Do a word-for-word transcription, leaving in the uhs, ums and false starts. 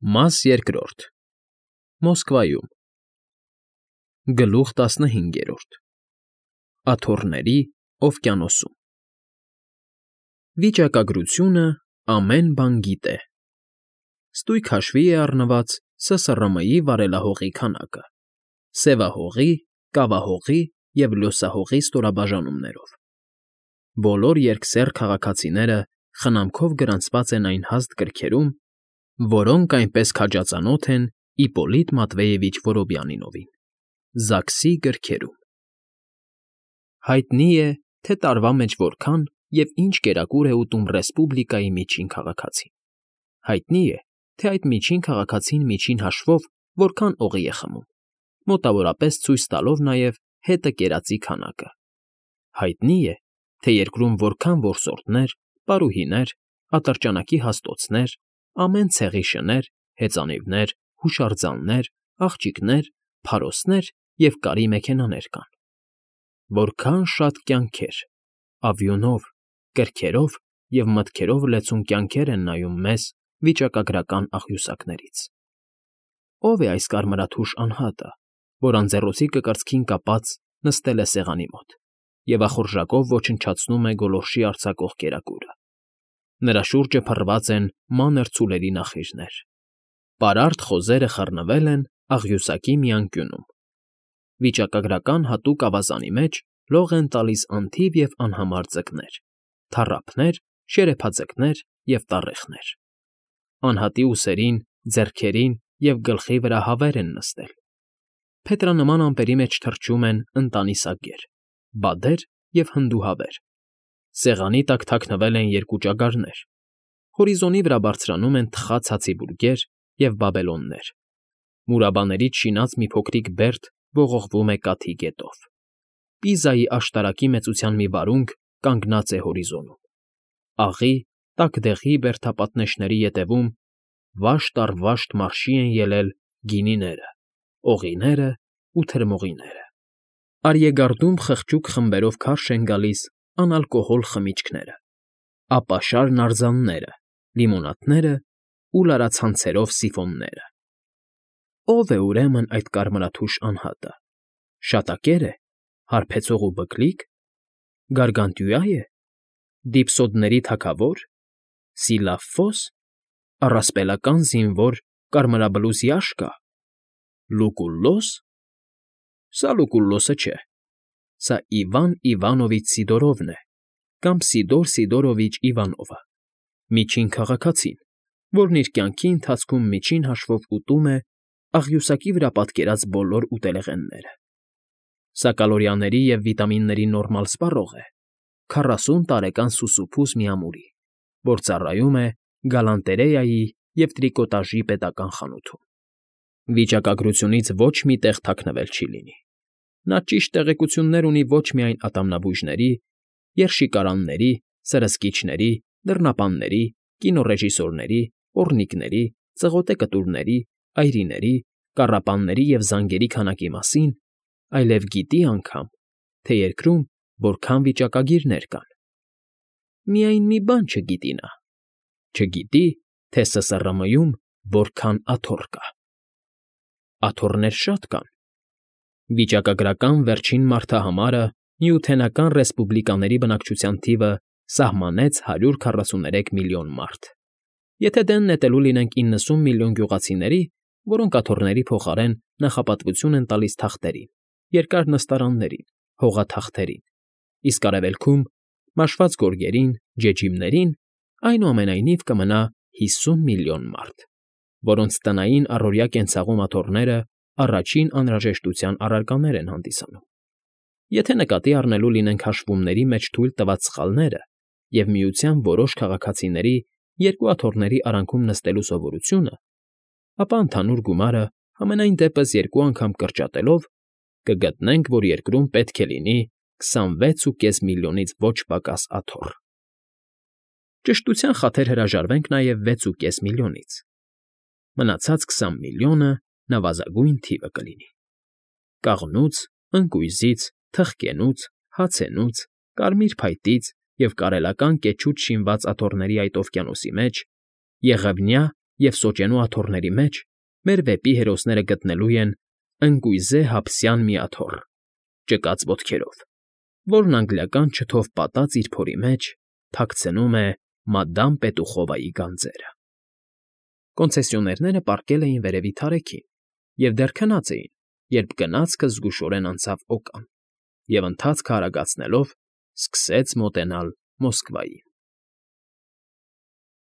Մաս երկրորդ Մոսկվայում Գլուխ տասնհինգերորդ Աթոռների օվկիանոսում Վիճակագրությունը ամեն բան գիտե։ Ստույգ հաշվի է առնված Ս Ս R M-ի վարելահողի քանակը՝ սևահողի, կավահողի և լյոսահողի ստորաբաժանումներով։ Բոլոր երկսեռ քաղաքացիները խնամքով գրանցված են այն հաստ գրքերում, որոնք այնպես քաջածանոթ են Իպպոլիտ Մատվեևիչ Որոբյանինովին, Զաքսի գրքերում։ Հայտնի է, թե տարվա մեջ որքան և ինչ կերակուր է ուտում ռեսպուբլիկայի միջին քաղաքացին։ Հայտնի է, թե այդ միջին քաղաքացին միջին հաշվով որքան օղի է խմում, մոտավորապես ցույց տալով նաև հետը կերածի քանակը։ Հայտնի է, թե երկրում որքան որսորդներ, պարուհիներ, ատրճանակի հաստոցներ, ամեն ցեղի շներ, հեծանիվներ, հուշարձաններ, աղջիկներ, փարոսներ և կարի մեքենաներ կան։ Որքան շատ կյանքեր, ավյունով, կրքերով և մտքերով լեցուն կյանքեր են նայում մեզ վիճակագրական աղյուսակներից։ Ո՞վ է այս կարմրաթուշ անհատը, որ անձեռոցիկը կրծքին կապած նստել է սեղանի մոտ և ախորժակով ոչնչացնում է գոլորշի արձակող կերակուրը։ Նրա շուրջը փռված են մանր ցուլերի նախիժներ։ Պարարտ խոզերը խռնվել են աղյուսակի մի անկյունում։ Վիճակագրական հատուկ ավազանի մեջ լող են տալիս անթիվ և անհամար ձկներ, թառափներ, շերեփաձկներ և տառեխներ։ Անհատի ուսերին, ձեռքերին և գլխի վրա հավեր են նստել։ Փետրանման ամպերի մեջ թռչում են ընտանի սագեր, բադեր և հնդուհավեր։ Սեղանի տակ թաքնվել են երկու ճագարներ։ Հորիզոնի վրա բարձրանում են թխած հացիբուրգեր և բաբելոններ։ Մուրաբաներից շինած մի փոքրիկ բերդ ողողվում է կաթի գետով։ Պիզայի աշտարակի մեծության մի վարունգ կանգնած է հորիզոնում։ Աղի, տաք դեղի բերդապատնեշների ետևում վաշտ առ վաշտ մարշի են ելել գինիները, օղիներն ու թրմողիները։ Արիեգարդում խղճուկ խմբերով քարշ են գալիս անալկոհոլ խմիչքները, ապաշար նարձանները, լիմոնադներն ու լարացանցերով սիֆոնները։ Ո՞վ է, ուրեմն, այդ կարմրաթուշ անհատը։ Շատակե՞ր է, հարբեցող ու բքլիկ, գարգանտյուա՞ է, դիփսոդների թագավո՞ր, Սիլաֆո՞ս, առասպելական զինվոր կարմրաբլուզ յաշկա, Լուկուլլո՞ս։ Սա Լուկուլլոսը չէ։ Սա Իվան Իվանովիչ Սիդորովն է կամ Սիդոր Սիդորովիչ Իվանովը, միջին քաղաքացին, որն իր կյանքի ընթացքում միջին հաշվով ուտում է աղյուսակի վրա պատկերած բոլոր ուտելեղենները։ Սա կալորիաների և վիտամինների նորմալ սպառող է, քառասուն տարեկան սուսուփուս մի ամուրի, որ ծառայում է գալանտերեայի և տրիկոտաժի պետական խանութում։ Վիճակագրությունից ոչ մի տեղ թաքնվել չի լինի։ Նա ճիշտ տեղեկություններ ունի ոչ միայն ատամնաբույժների, երշիկարանների, սրսկիչների, դռնապանների, կինոռեժիսորների, պոռնիկների, ծղոտե կտուրների, այրիների, կառապանների և զանգերի քանակի մասին, այլև գիտի անգամ, թե երկրում որքան վիճակագիրներ կան։ Միայն մի բան չգիտի նա. չգիտի, թե Ս Ս R M-ում որքան աթոռ կա։ Աթոռներ շատ կան։ Վիճակագրական վերջին մարդահամարը Նյութենական ռեսպուբլիկաների բնակչության թիվը սահմանեց հարյուր քառասուներեք միլիոն մարդ։ Եթե դեն նետելու լինենք իննսուն միլիոն գյուղացիների, որոնք աթոռների փոխարեն նախապատվություն են տալիս թախտերին, երկար նստարաններին, հողաթախտերին, իսկ արևելքում մաշված գորգերին, ջեջիմներին, այնուամենայնիվ կմնա հիսուն միլիոն մարդ, որոնց տնային առօրյա կենցաղում աթոռները առաջին անհրաժեշտության առարկաներ են հանդիսանում։ Եթե նկատի առնելու լինենք հաշվումների մեջ թույլ տված սխալները և Միության որոշ քաղաքացիների երկու աթոռների արանքում նստելու սովորությունը, ապա ընդհանուր գումարը համենայն դեպս երկու անգամ կրճատելով կգտնենք, որ երկրում պետք է լինի քսանվեց ու կես միլիոնից ոչ պակաս աթոռ։ Ճշտության խաթր հրաժարվենք նաև վեց ու կես միլիոնից։ Մնացած քսան միլիոնը նվազագույն թիվը կլինի։ Կաղնուց, ընկույզից, թխկենուց, հացենուց, կարմիր փայտից և կարելական կեչուց շինված աթոռների այդ օվկիանոսի մեջ եղևնյա և սոճենու աթոռների մեջ մեր վեպի հերոսները գտնելու են ընկույզե հափսյան մի աթոռ, ճկած ոտքերով, որն անգլիական չթով պատած իր փորի մեջ թաքցնում է մադամ Պետուխովայի գանձերը։ Կոնցեսիոներները պառկել էին վերևի թարեքին և դեռ քնած էին, երբ գնացքը զգուշորեն անցավ օկան և, ընթացքը արագացնելով, սկսեց մոտենալ Մոսկվային։